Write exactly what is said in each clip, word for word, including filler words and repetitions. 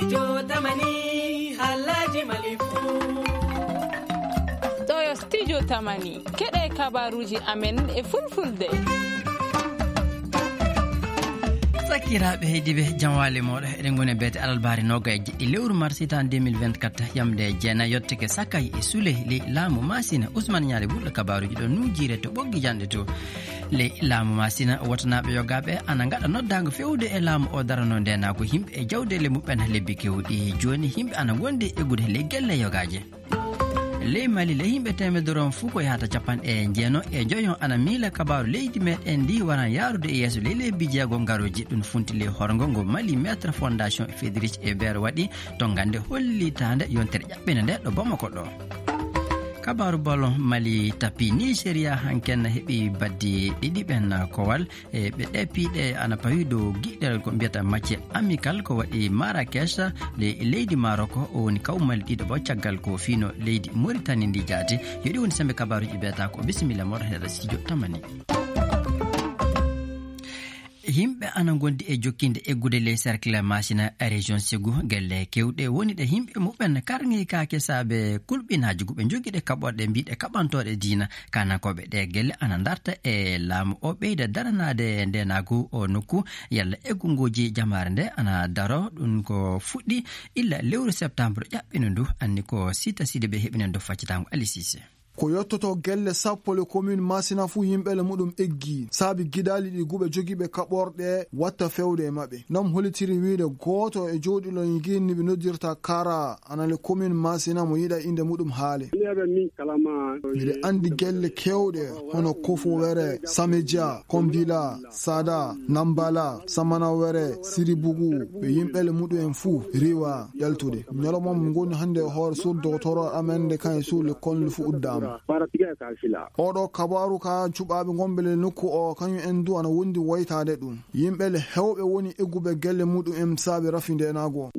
Studio Tamani, halaji Mali fu. Toyo Studio Tamani, keɗe kabaruji amen e fulfulde. Sakiraaɓe heediiɓe, jam waali mooɗon. Eɗen ngoni e beete alarbaare noogaye e jeɗɗi lewru mars hitaan deux mille vingt-quatre, yamde jeenayi yottake Sakay e Suley ley laamu Maasina. Usman Ñaali Wulɗo kabaaruuji ɗo nuujiire to Ɓoggi Janɗe to. Ley laamu Maasina, wotanaaɓe yogaaɓe ana ngaɗa noddaango feewde e laamu o darano ndeenaagu yimɓe e jawdeele muɓɓen lebbi keewɗi. Jooni yimɓe ana ngondi e eggude ley gelle yogaaje. Ley Mali, ley yimɓe teemedere on fuu ko yahata capanɗe jeenayi e joyo ana miila kabaaru leydi meɗen ndi waran yaarude e yeeso ley lebbi jeego ngaroji. Ɗum funti ley horgo ngo Mali Maître Fondation Frédéric Ebert waɗi to ngannde hollitaande yontere ƴaɓɓinde nde ɗo Bamako ɗo. Kabaaru ballon Mali tapi Nigeria hanken heɓi baddi ɗiɗi ɓen kowal. E ɓe ɗe piiɗe ana pawi dow giɗɗel ko mbiyata match amical ko waɗi Marrakech, le-, leydi Maroc, o woni kawmali ɗiɗo bo caggal ko fiino leydi Mauritanie ndi jaati. Yo ɗi woni sembe kabaaruji ɓe ta ko bisimilla moɗon heɗa studio Tamani. Yimɓe ana ngondi e jokkinde eggude ley cercle Masina région Ségou, gelle kewɗe woni ɗe yimɓe muɓɓen karŋi kaake saabe kulɓinaaji guɓe jogiiɗe kaɓorɗe mbiiɗe kaɓantooɗe diina. Kanankooɓe ɗe gelle ana darta e laamu o ɓeyda daranaade ndeenaagu o nokku, yalla eggunguuji jamaare nde ana daro. Ɗum ko fuɗɗi illa lewru septembre ƴaɓɓino ndu, anni ko Sita Sidibe heɓinen dow faccitaango Ali Cissé. Ko yottoto gelle sappo le commune Masina fuu yimɓe le muɗum eggi, saabi gidaali ɗi guɓe jogiiɓe kaɓorɗe watta fewde e maɓɓe. Nam holitiri wiide gooto e jooɗiiɗo ngeenni ɓe noddirta Kara, ana le commune Masina mo yiɗa innde muɗum haale. Miɗo anndi gelle keewɗe hono Kofuwere, Sameja, Kombila, Sada, Nambala, Samanawere, Siribugu, ɓe yimɓe le muɗum en fuu riiwa ƴaltude. Ñalawma mo ngoni hannde e hoore suur dogotoro amen nde kan e suur le kon le fu uddaama. Oɗo kabaaru ka cuɓaaɓe ngonɓe le nokku o, kañum en du ana wondi woytaade ɗum. Yimɓe le heewɓe woni egguɓe gelle muɗum en saabe rafi ndeenaagu o.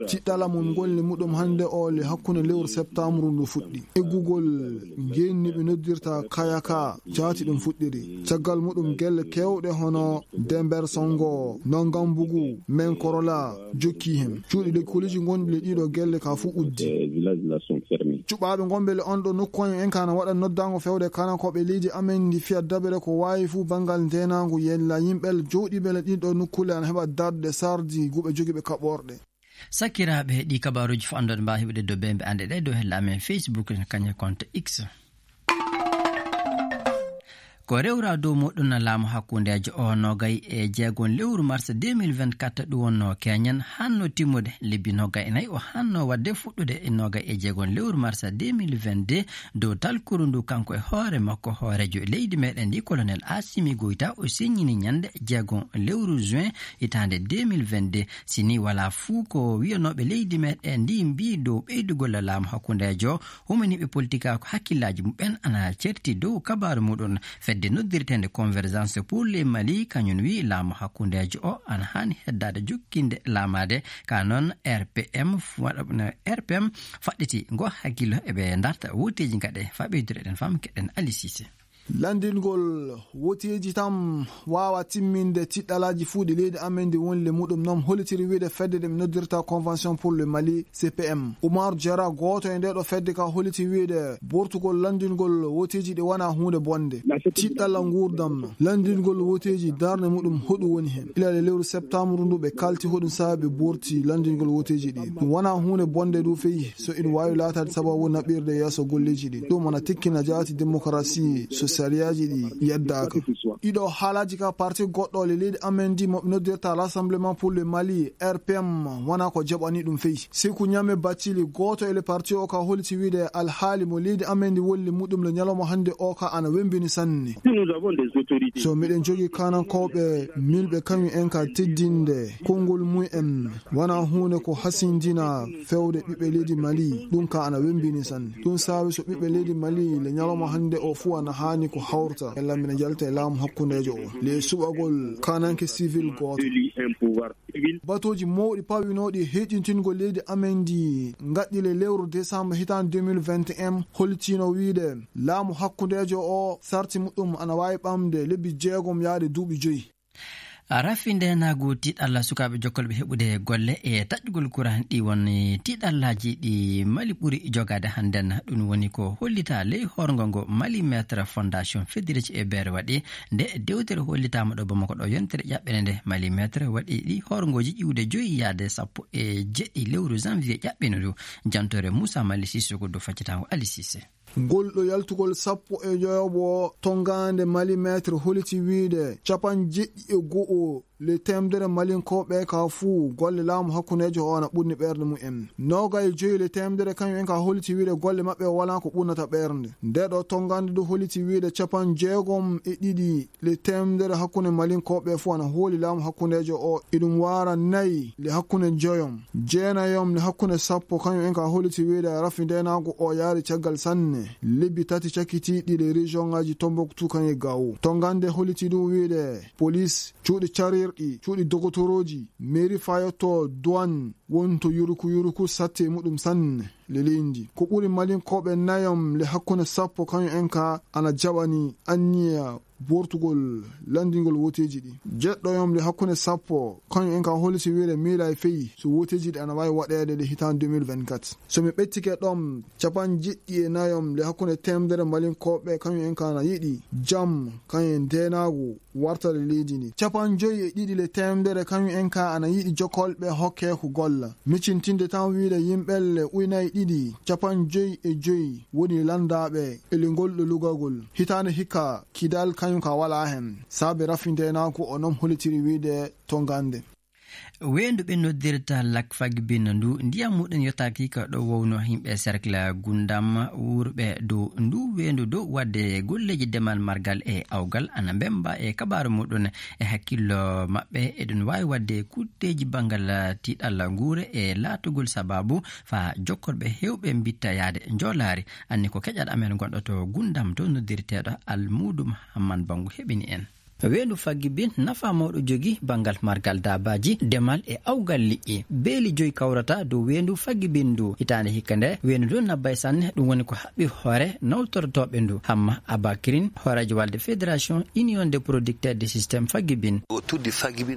Tiɗɗala mo ngoni le muɗum hannde o le hakkunde lewru septembre ndu fuɗɗi. Eggugol ngeenni ɓe noddirta Kayaka jaati ɗum fuɗɗiri. Caggal muɗum gelle keewɗe hono Dember Songo, Nongambugu, Menkorola, jokki heen. Cuuɗi lekkoliji gonɗi le ɗiɗo gelle ka fuu uddi. Cuɓaaɓe gonɓe le on ɗo nokku en, en kana waɗa noddaango fewde kanankooɓe leydi amen ndi fiya dabere ko waawi fuu banngal ndeenaangu yella yimɓe le jooɗiiɓe le ɗiɗo nokkule ana heɓa darde sardi guɓe jogiiɓe kaɓorɗe. Sakiraaɓe, ɗi kabaaruuji fof anndude mbaawa heɓude dow bembe annde ɗe dow hella amen Facebook, kañum e compte X. Ko rewra dow muɗum laamu hakkundeejo o noogay e jeegom lewru mars deux mille vingt-quatre ɗum wonno keñen hanno timmude lebbi noogay e nayi o hanno wadde fuɗɗude e noogay e jeegom lewru mars deux mille vingt-deux dow talkuru ndu kanko e hoore makko hooreejo leydi meɗen ndi colonel Assimi Goïta o signini ñande jeegom lewru juin hitaande deux mille vingt-deux. Si ni wala fuu ko wiyanooɓe leydi meɗen ndi mbi dow ɓeydugol laamu hakkundeejo Humaniiɓe politikaaku hakkillaaji muɓɓen ana certi dow kabaaru muɗum. Fedde noddirteende Convergence pour le Mali, kañum wi laamu hakkundeejo o ana haani heddaade jokkinde laamaade. Ka noon, R P M f-, waɗa-, R P M faɗɗiti ngo hakkillo eɓe darta wooteeji gaɗe. Fa ɓeydude eɗen fam keɗen Ali Cissé. Lanndingol wooteeji tan waawa timminde tiɗɗalaaji fuu ɗi leydi amen ndi woni le muɗum noon, holitiri wiyde fedde nde ɓe noddirta Convention pour le Mali, C P M. Oumar Diarra, gooto e ndee ɗo fedde ka, holiti wiyde bortugol lanndingol wooteeji ɗi wonaa huunde bonnde. Tiɗɗalla nguurndam, lanndingol wooteeji darnde muɗum hoɗum woni heen. Ila le lewru septembre ndu ɓe kalti hoɗum saabi ɓe borti lanndingol wooteeji ɗi. Ɗum wonaa huunde bonnde ndu feyi. So ina waawi laataade sababu naɓirde yeeso golleeji ɗi. Ɗum ana tikkina jaati demokarasi so sariyaaji ɗi yeddaaka. Ɗiɗo haalaaji ka parti goɗɗo le leydi amen ndi mo ɓe noddirta Rassemblement pour le Mali, R P M, wonaa ko jaɓani ɗum feyi. Seku Ñame Bathily, gooto e le parti o ka holiti wiyde alhaali mo leydi amen ndi wolli muɗum le ñalawma hannde o ka ana wembini sanne. So miɗen jogii kanankooɓe milɓe kañum en ka teddinde konngol mum en, wonaa huunde ko hasindina fewde ɓiɓɓe leydi Mali, ɗum ka ana wembini sanne. Ɗum saabi so ɓiɓɓe leydi Mali le ñalawma hannde o fuu ana haani ko hawrta. Yalla mbiɗa jalta e laamu hakkundeejo o. Le suɓagol kananke civil gooto. Batooji mawɗi pawinooɗi e heyɗintingol leydi amen ndi ngaɗɗi le lewru décembre hitaande deux mille vingt et un holtino wiyde laamu hakkundeejo o sarti muɗum ana waawi ɓamde lebbi jeegom yaade duuɓi joyi. Rafi ndeenaagu tiiɗalla sukaaɓe jokkolɓe heɓude golle e taƴƴugol kuraŋ ɗi woni tiiɗallaaji ɗi Mali ɓuri jogaade hannden. Ɗum woni ko hollitaa ley hoorngo ngo Mali Metre Fondation Federici e Beere waɗi. Nde dewtere hollitaama ɗo Bamako ɗo yontere ƴaɓɓere nde Mali Metre waɗi ɗi hoorngooji ƴiwde joyi yaade sappo e jeɗɗi lewru janvier ƴaɓɓino ndu. Jantore Moussa Mali Sissoko do faccitaango Ali Sise. Ngol ɗo yaltugol sappo e joyoɓo tongaande Mali Metre holiti wiyde capanɗe jeɗɗi e go'o le temedere Malinkooɓe ka fuu golle laamu hakkundeejo o ana ɓurni ɓeerde mumen. Noogay e joyi le temedere kañum en ka holiti wiyde golle maɓɓe o walaa ko ɓurnata ɓernde. Nde ɗo tongaande du holiti wiyde capanɗe jeegom e ɗiɗi le temedere hakkunde Malinkooɓe fuu ana hooli laamu hakkundeejo o. Iɗum waara nayi le hakkunde joyom, jeenayom le hakkunde sappo, kañum en ka holiti wiyde rafi ndeenaagu o yaari caggal sanne. Lebbi tati cakkitiiɗi le région ngaji Tombouctou kañum e Gao. Tongaande holiti ɗum wiyde police, cuuɗi carirɗi, cuuɗi dogotorooji, mairie fayotto, douane, wonto yuruku yuruku satti e muɗum sanne. Le leydi ko ɓuri Malinkooɓe nayom le hakkunde sappo kañum en ka ana jaɓani anniya bortugol lanndingol woteeji ɗi. Jeɗɗoyom le hakkunde sappo kañum en ka holiti wiyde miila e feyi so woteeji ɗi ana waawi waɗeede le hitaande deux mille vingt-quatre. So mi ɓettike ɗom capanɗe jeɗɗi e nayom le hakkunde temedere Malinkooɓe kañum en ka ana yiɗi jam kañum e ndeenaagu wartale leydi ndi. Capanɗe joyi e ɗiɗi le temedere kañum en ka ana yiɗi jokkolɓe hokke ko golla. Micintinde tan wiyde yimɓelle uynay ɗiɗi, capanɗe joyi e joyi woni lanndaaɓe e le ngol ɗo lugagol. Hitaande hikka Kidal kañum ka walaa hen. Saabe rafi ndeenaagu o non holitiri wiyde tongaande. Weendu ɓe noddirta Lac Fagbin ndu ndiyam muɗum yottaaki ko ɗo wowno yimɓe cercle Gundam wuurɓe dow ndu weendu dow waɗde golleeji demal margal e awgal ana mbemba e kabaaru muɗum e hakkillo maɓɓe eɗum waawi waɗde kutteeji banngal tiiɗalla nguure e laatugol sabaabu faa jokkorɓe heewɓe mbitta yaade njoolaari. Anni ko keƴal amen gonɗo to Gundam to noddirteeɗo Almuudu Mahamman Banngu heɓini en. Weendu Fagbin nafa mawɗo jogi banngal margal daabaaji, demal e awgal liƴƴi. Beeli joyi kawrata dow weendu Fagbin ndu. Hitaande hikka nde, weendu ndu nabbay sanne, ɗum woni ko haɓɓi hoore nawtortooɓe ndu. Hamma Abakirin, hooreejo walde Fédération Union des Producteurs du Système Fagbin.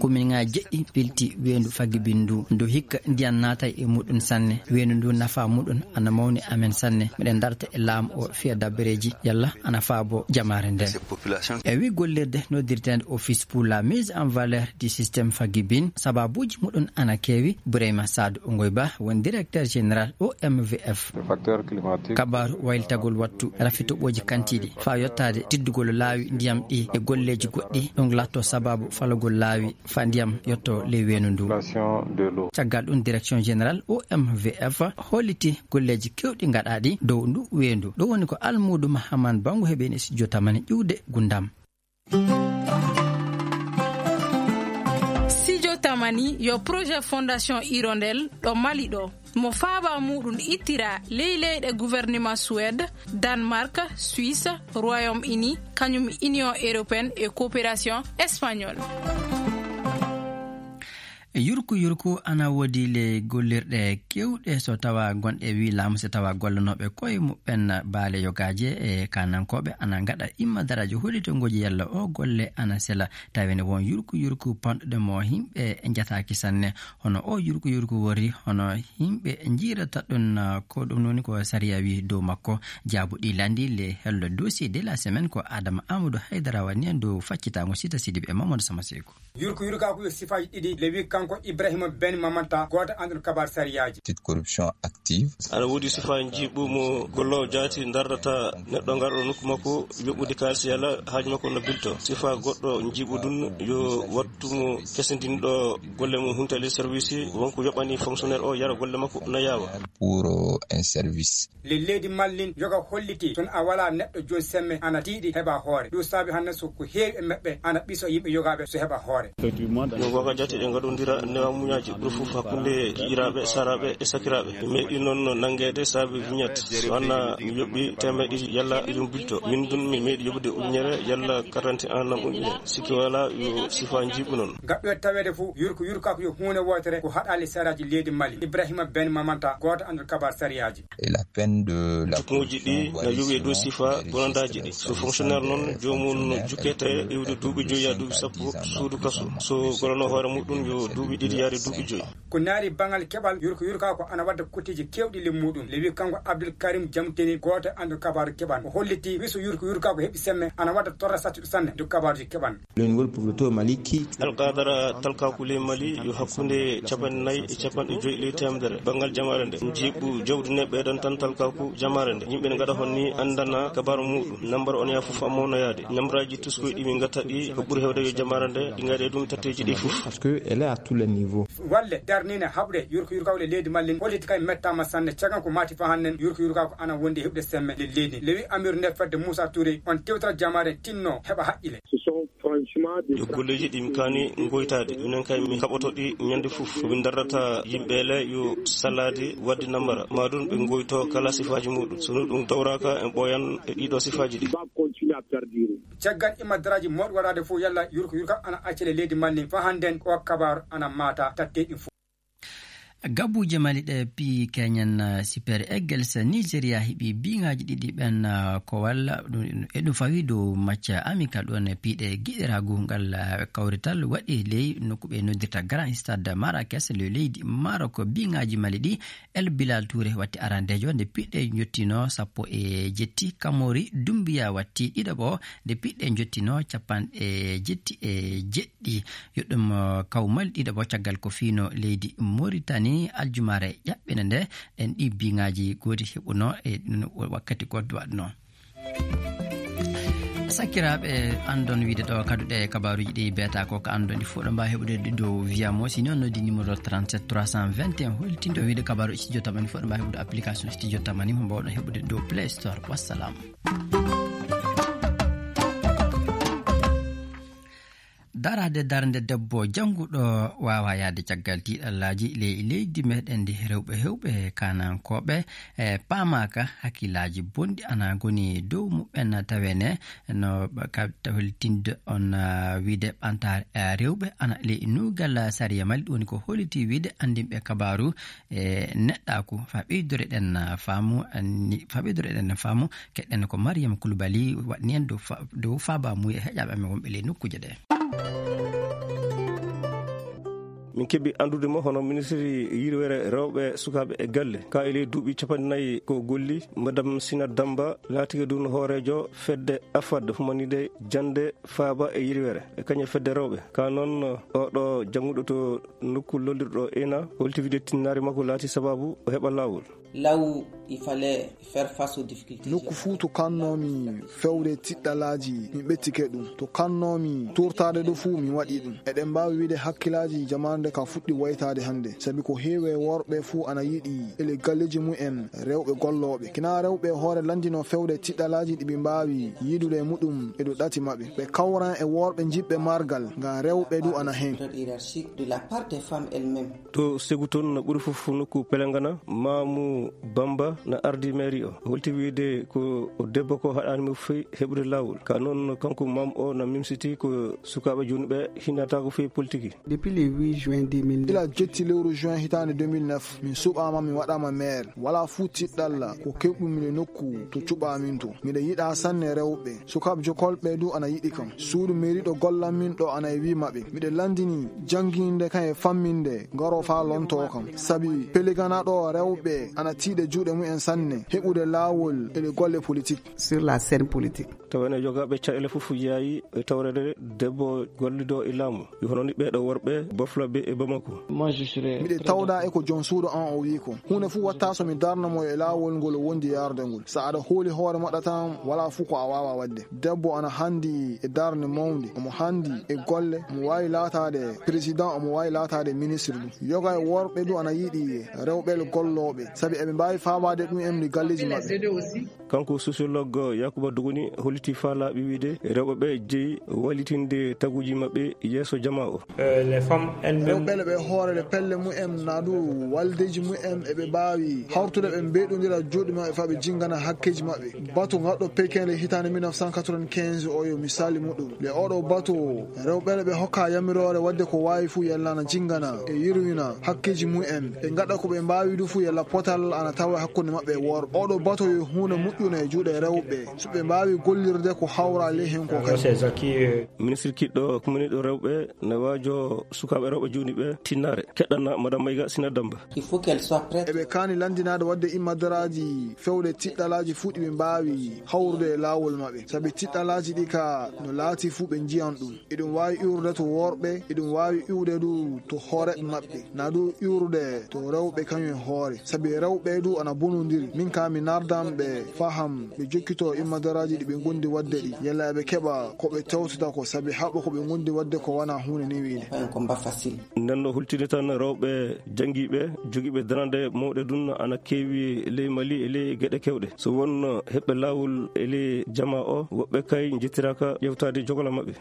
Komin ŋaa jeɗɗi pilti weendu Fagbin ndu. Ndu hikka ndiyan naatay e muɗum sanne. Weendu ndu nafa muɗum ana mawni amen sanne. Miɗen darta e laamu o fiya dabbareeji. Yalla ana faabo jamaare nden. E wi gollirde noddirteende Office pour la mise en valeur du système Fagbin, sababuuji muɗum ana keewi. Burayma Saadu Ongoyba woni directeur général O M V F. Kabaaru waylitagol wattu, rafi toɓooji kantiiɗi, faa yottaade tiddugol laawi ndiyam ɗi e golleeji goɗɗi, ɗum laatto sababu falagol laawi faa ndiyam yotto ley weendu ndu. Caggal ɗum, direction générale O M V F holliti golleeji keewɗi gaɗaaɗi dow ndu weendu. Ɗo woni ko Almuudu Mahaman Banngu heɓi en e studio Tamani ƴuwde Gundam. Studio Tamani yo projet Fondation Hirondelle ɗo Mali ɗo. Mo faaba muɗum ittira ley leyɗe gouvernement Suède, Danemark, Suisse, Royaume-Uni, kañum Union Européenne e Coopération Espagnole. Yurku yurku ana woodi le gollirɗe keewɗe so tawa gonɗe wi laamu, so tawa gollanooɓe koye muɓɓen baale yogaaje e kanankooɓe ana ngaɗa imma daraaji hollitongooji yalla o golle ana sela. Tawi ne won yurku yurku panɗuɗe mo yimɓe njataaki sanne. Hono o yurku yurku wori, hono yimɓe njiirata ɗum, ko ɗum woni ko sariya wi dow makko. Jaabu ɗi landi le hello dossier de la semaine ko Adama Amadou Haydara wani en dow faccitaango Sita Sidibe e Mamadou Sama Seeku. Yurko yurkaaku yo sifaaji ɗiɗi le wi kanko Ibrahima Ben Mamanta, gooto anndon kabaar sariyaaji. Petite corruption active. Ana woodi sifaa njiiɓu mo golloowo jaati ndardata neɗɗo ngarɗo nokku makko yoɓude kaalis yalla haaju makko no bilto. Sifaa goɗɗo njiiɓu ɗum yo wattu mo kesindinɗo golle mum huntali service wonko yoɓani fonctionnaire o yara golle makko no yaawa. Pour un service. Le leydi Mallin yoga holliti, so a walaa neɗɗo jooni semme ana tiiɗi heɓa hoore. Ɗum saabi hannde so ko heewi e maɓɓe ana ɓiso yimɓe yogaaɓe so heɓa hoore. No goga jati ɗe ngaɗondira Newa muñaaji ɓuri fof hakkunde ji'iraaɓe, saraaɓe e sakiraaɓe. Mi meeɗi noon nanngeede saabe vignette. So wanaa mi yoɓi teemeɗe ɗiɗi yalla ɗum bilto. Min ɗum mi meeɗi yoɓude ujunere yalla quarante ans nam ujunere. Sikki wala yo sifa njiiɓu noon. Gaɗɗo e taweede fof, yurko yurka ko yo huunde wootere ko haɗaali saraaji leydi Mali. Ibrahima Ben Mamanta, gooto annduɗo kabaar sariyaaji. Et la peine de la Jukkuuji ɗi na yowi e dow sifa bonandaaji ɗi. So fonctionnaire noon, joomum no jukkete iwde duuɓi joyi haa duuɓi sappo suudu kaso. So golano hoore muɗum yo duuɓi ɗiɗi yaade duuɓi joyi. Ko naari baŋal keɓal, yurko yurka ko ana wadda kotteeji keewɗi ley muɗum. Lewi kanko Abdul Karim Jamteni, gooto e annduɗo kabaaru keɓal, o holliti wiso yurko yurka ko heɓi semme ana wadda torra sattuɗo sanne dow kabaaruji keɓal. Le niveau de pauvreté au Mali qui Alqadara talkaaku ley Mali yo hakkunde capanɗe nayi e capanɗe joyi ley teemedere banngal jamaare nde. Njiiɓu jawdi ne ɓeydan tan talkaaku jamaare nde. Yimɓe ne ngaɗa hon ni anndana kabaaru muɗum. Nambar on yaa fof a mawnoyaade. Nambaraaji tuskoy ɗi min ngatta ɗi ko ɓuri heewde yo jamaare nde ɗi ngaɗe ɗum tatteeji ɗi fof. Parce que elle est à tous les niveaux. Walle darnine haɓre yurko yurkawle leydi Mali holliti kay mettaama sanne caggal ko mati fa hannden yurko yurka ko ana wondi heɓde semme le leydi. Lewi Amir nde fedde Moussa Touré on tewtata jamaare tinno heɓa haqqile. Ce sont franchement des Yo golleeji ɗi mi kaani ngoytaade. Minen kay mi haɓoto ɗi ñande fof. Ko min darrata yimɓe le yo salaade waɗde nambara. Ma ɗum ɓe ngoyto kala sifaaji muɗum. So ɗum tawraaka en ɓooyan e ɗiɗo sifaaji ɗi. Va continuer à perdurer. Caggal imadaraaji mawɗi waɗaade fof yalla yurko yurka ana accele leydi Mali. Fa hannden o kabaar ana maata tatte ɗi fof. Gabuuje Mali ɗe pii Kenyan, eh, Super Eagles Nigeria heɓi biŋaaji ɗiɗi ɓen, eh, ko walla ɗum, e ɗum fawi dow match amical ɗon e piiɗe giɗiraagu ngal, eh, kawrital waɗi ley nokku ɓe noddirta Grand Stade Marrakech le leydi Maroc. Biŋaaji Mali ɗi El Bilal Touré watti arandeejo nde piiɗe jottino sappo e jetti. Kamori Dumbiya watti ɗiɗaɓo nde piiɗe jottino capanɗe jetti e jeɗɗi. Yo ɗum, uh, kawmal ɗiɗaɓo caggal ko fiino leydi Mauritanie aljumaare ƴaɓɓinde nde. Ɗen ɗi biŋaaji goodi heɓuno e ɗum wakkati goɗɗo waɗno. Sakiraaɓe, anndon wiide ɗo kaduɗe kabaaruuji ɗi beeta ko ka anndon ɗi fof ɗo mbaawi heɓude ɗi dow Via Mo. Si noon noddi numéro trente-sept trois cent vingt et un holtindo wiide kabaaru studio tamani fof ɗo mbaawi heɓude application studio tamani mo mbawɗon heɓude dow Play Store. Wassalam. Daraade darnde debbo jannguɗo waawa yahde caggal tiiɗallaaji ley leydi meɗen ndi. Rewɓe heewɓe kaanankooɓe, e, paamaaka hakkillaaji bonɗi ana ngoni dow muɓɓen tawene no ka holtinde on, ah, wiide ɓantaare, ah, rewɓe ana ley nuugal sariya Mali. Ɗum woni ko holliti wiide anndinɓe kabaaru e neɗɗaaku. Fa ɓeydore ɗen, ah, faamu, ah, ni, fa ɓeydore ɗen faamu, keɗen ko Mariam Koulibaly waɗni en dow fa-, dow faaba mum e heƴaaɓe amen wonɓe ley nokkuuje ɗe. Min keɓi anndude mo hono ministre yirwere rewɓe, sukaaɓe e galle. Ka e ley duuɓi capanɗe nayi ko golli, Madame Sina Damba laatike ɗum hooreejo fedde afad humanide jannde faaba e yirwere e kañe fedde rewɓe. Ka noon oɗo jannguɗo to nokku lollirɗo ena holti wiide tinnaare makko laati sababu o heɓa laawol. Là où il fallait faire face aux difficultés. Nokku fuu to kannoomi fewde tiɗɗalaaji, mi ɓettike ɗum. To kannoomi tuurtaade ɗo fuu, mi waɗi ɗum. Eɗen mbaawi wiide hakkillaaji jamaande ka fuɗɗi waytaade hannde. Sabi ko heewi e worɓe fuu ana yiɗi ele galleeji mumen rewɓe gollooɓe. Kina rewɓe hoore lanndinoo fewde tiɗɗalaaji ɗi ɓe mbaawi yiidude e muɗum e ɗo ɗati maɓɓe. Ɓe kawran e worɓe jiɗɓe margal, ngam rewɓe du ana heen. Hiérarchique de la part des femmes elles-mêmes. To segu toon no ɓuri fof nokku Pelengana, Maamu Bamba na ardi mairie o. Holti wiide ko debbo ko haɗaani mo fey heɓude laawol. Ka noon kanko Maamu o na mimsiti ko sukaaɓe jooni ɓe hinataako fey politiki. Depuis le huit juin deux mille neuf. Ila jetti lewru juin hitaande deux mille neuf, min suɓaama, mi waɗaama maire. Walaa fuu tiɗɗalla ko keɓɗumi le nokku to cuɓaamin to. Miɗa yiɗa sanne rewɓe. Sukaaɓe jokolɓe du ana yiɗi kam. Suudu mairie ɗo gollan min ɗo ana e wi maɓɓe. Miɗa lanndini jannginde kam e famminde ngaro faa lontoo kam. Sabi Pelengana ɗo rewɓe ana tiiɗe juuɗe mumen sanne heɓude laawol e ɗe golle politique. Sur la scène politique. Tawa ene jogaaɓe caɗeele fof yaayi e tawreede debbo gollido e laamu. Yo hono ni ɓeeɗo worɓe bofla ɓe e Bamako. Moi, je serais Miɗe très tawda d'accord. E ko joom suudu an o wi ko. Huunde fuu watta so mi darna mo e laawol ngol o wondi yarde ngol. So aɗa hooli hoore maɗa tan, walaa fuu ko a waawa waɗde. Debbo ana handi e darnde mawnde, omo handi e golle, omo waawi laataade président, omo waawi laataade ministre ɗum. Yoga e worɓe du ana yiɗi rewɓe gollooɓe, sabi eɓe mbaawi faabaade ɗum en e galleeji maɓɓe. Kanko sociologue Yakuba Dogoni holliti faalaaɓe wiide rewɓe ɓe jeyi wallitinde taguuji maɓɓe yeeso jamaa o. Eh, les femmes elles-mêmes. Rewɓe ɓe hoore le pelle mumen, naa du waldeeji mumen, eɓe mbaawi hawrude ɓe mbeeɗondira juuɗe maɓɓe faa ɓe jinngana hakkeeji maɓɓe. Bato ngarɗo Pekin le hitaande mille neuf cent quatre-vingt-quinze o yo misaali muɗum. Le oɗo bato, rewɓe ɓe hokka yamiroore waɗde ko waawi fuu yalla ana jinngana e yirwina hakkeeji mumen. Ɓe ngaɗa ko ɓe mbaawi du fuu yalla potal ana tawa hakkunde maɓɓe e worɓe. Oɗo bato yo huunde moƴƴunde e juuɗe rewɓe. So ɓe mbaawi gollirde ko hawra ley heen ko kadi. Ministre kiɗɗo kumaniiɗo rewɓe ne waajo sukaaɓe rewɓe jooni ɓe tinnaare. Keɗɗana Madame Maïga Sina Damba. Il faut qu'elle soit prête. Eɓe kaani lanndinaade waɗde immadaraaji fewde tiɗɗalaaji fuu ɗi ɓe mbaawi hawrude e laawol maɓɓe. Sabi tiɗɗalaaji ɗi ka no laati fuu ɓe njiyan ɗum. Eɗum waawi iwrude to worɓe, eɗum waawi iwde du to hooreeɓe maɓɓe. Naa du iwrude to rewɓe kañum e hoore. Sabi rewɓe du ana bonondiri. Min ka mi nardan ɓe faham ɓe jokkito immadaraaji ɗi ɓe ngondi waɗde ɗi. Yalla eɓe keɓa ko ɓe tewtata ko sabi haɓa ko ɓe ngondi waɗde ko wana huunde newiinde. Pas un combat facile. Nden no hultini tan rewɓe janngiiɓe, jogiiɓe darande mawɗe dun ana keewi ley Mali e ley geɗe kewɗe. So wonno heɓɓe laawol e ley jamaa o, woɓɓe kay njettiraka ƴewtaade jogola maɓɓe.